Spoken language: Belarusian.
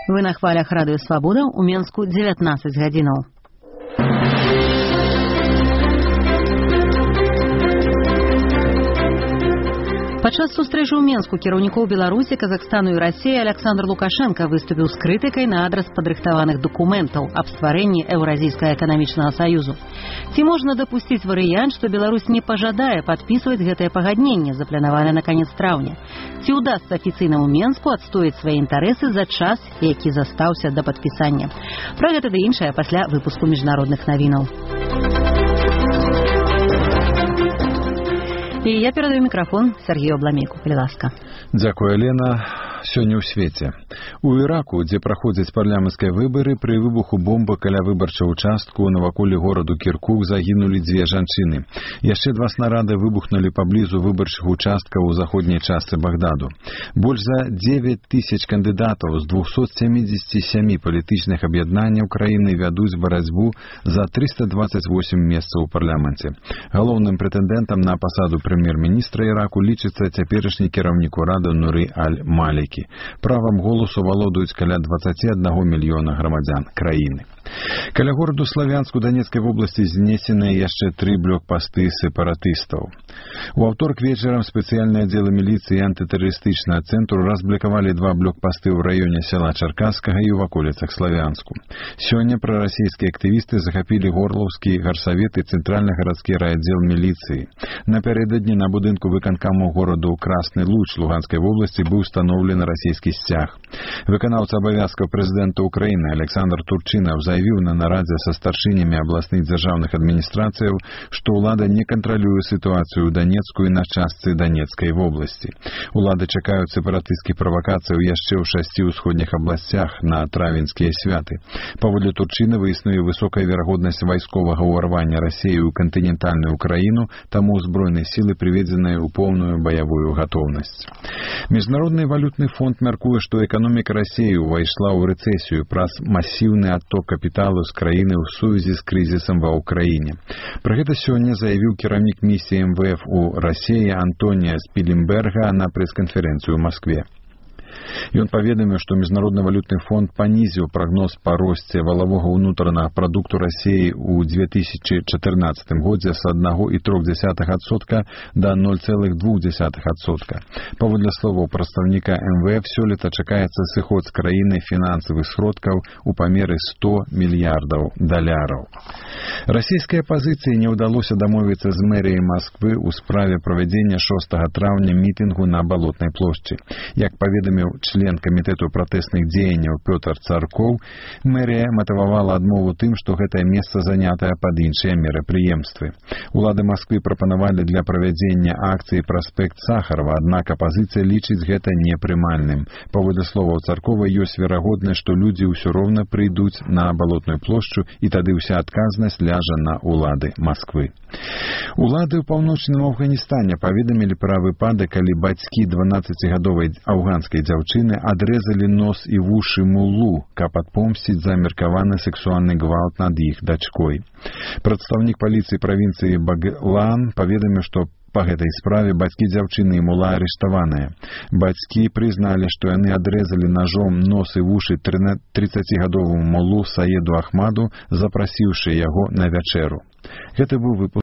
Вы на хвалях Радыё Свабода, у Менску 19 гадзінаў. Падчас сустрэчы ў Менску кіраўнікоў Беларусі, Казахстану і Расіі Александр Лукашенко выступіў з крытыкай на адрас падрыхтаваных дакументаў аб стварэнні Еўразійскага эканамічнага саюзу. Ці можна дапусціць варыянт, што Беларусь не пажадае падпісваць гэтае пагадненне, запланаванае на канец траўня? Ці ўдасца афіцыйнаму Менску адстоіць свае інтарэсы за час, які застаўся да падпісання? Пра гэта ды іншае пасля выпуску міжнародных навінаў. І я перадаю мікрафон Сергею Абламейку. Калі ласка. Дзякуй, Алена. Сёння ў свеце. У Іраку, дзе праходзяць парламенцкія выбары, пры выбуху бомбы каля выбарчага участку наваколе гораду Кіркук загінулі 2 жанчыны. Яшчэ 2 снарады выбухнулі паблізу выбарчых участкаў у заходняй частцы Багдаду. Больш за 9 тысяч кандыдатаў з 277 палітычных аб'яднанняў краіны вядуць барацьбу за 328 месцаў у парламенце. Галоўным прэтэндэнтам на пасаду прэм'ер-міністра Іраку лічыцца цяперашні кіраўнік урада Нуры Аль-Малікі. Правам голасу валодаюць каля 21 мільёна грамадзян краіны. Каля гораду Славянску Донецкай вобласці знесеныя яшчэ 3 блокпасты сепаратыстаў. У аўторак вечарам спецыяльныя аддзелы міліцыі і антытэрарыстычнага цэнтру разблокавалі 2 блокпасты ў раёне села Чаркасскага і ў ваколіцах Славянску. Сёння прарасійскія актывісты захапілі Горлаўскі гарсавет і цэнтральны гарадскі райаддзел міліцыі. Напярэдадні на будынку выканкаму гораду Красны Луч Луганскай вобласці быў установлены расійскі сцяг. Выканаўца абавязкаў прэзідэнта Украіны Александр Турчынаў заявіў на нарадзе са старшынямі абласных дзяржаўных адміністрацыяў, што ўлада не кантралюе сітуацыю ў Донецку і на частцы Донецкай вобласці. Улады чакаюць сепаратысцкіх правакацыяў яшчэ ў 6 ўсходніх абласцях на травеньскія святы. Паводле Турчынава існуе высокая верагоднасць вайсковага ўварвання Расіі ў кантынентальную Украіну, таму ўзброеныя сілы прыведзеныя ў поўную баявую гатоўнасць. Міжнародны валютны фонд мяркуе, што эканоміка Расіі ўвайшла ў рэцэсію праз масіўны адток капіталу з краіны ў сувязі з крызісам ва ўкраіне. Пра гэта сёння заявіў кіраўнік місіі МВФ у Расіі Антонія Спілінберга на прэс-канферэнцыю ў Маскве. Ён паведаміў, што Міжнародны валютны фонд панізіў прагноз па росце валавога ўнутранага прадукту Расіі ў 2014 годзе з 1,3% да 0,2%. Паводле словаў прадстаўніка МВФ, сёлета чакаецца сыход з краіны фінансавых сродкаў у памеры $100 мільярдаў. Расійскай апазіцыі не ўдалося дамовіцца з мэріяй Масквы ў справе правядзення 6 траўня мітынгу на Балотнай плошчы. Як паведаміў член камітэту пратэсных дзеянняў Пётр Царкоў, мэрія матывавала адмову тым, што гэтае месца занятае пад іншыя мерапрыемствы. Улады Масквы прапанавалі для правядзення акцыі праспект Сахарова, аднак апазіцыя лічыць гэта непрымальным. Паводле словаў Царкова, ёсць верагоднасць, што людзі ўсё роўна прыйдуць на Балотную плошчу, і тады ўся адказнасць ляжа на улады Масквы. Улады ў паўночным Афганістане паведамілі пра выпадак, калі бацькі 12-гадовай афганскай дзяўчыны адрэзалі нос і вушы муллу, каб адпомсціць за меркаваны сексуальны гвалт над іх дачкой. Прадстаўнік паліцыі правінцыі Баглан паведаміў, што па гэтай справе бацькі дзяўчыны і мула арыштаваныя. Бацькі прызналі, што яны адрэзалі ножом нос і вушы 30-гадоваму муллу Саеду Ахмаду, запрасіўшы яго на вячэру. Гэта быў выпуск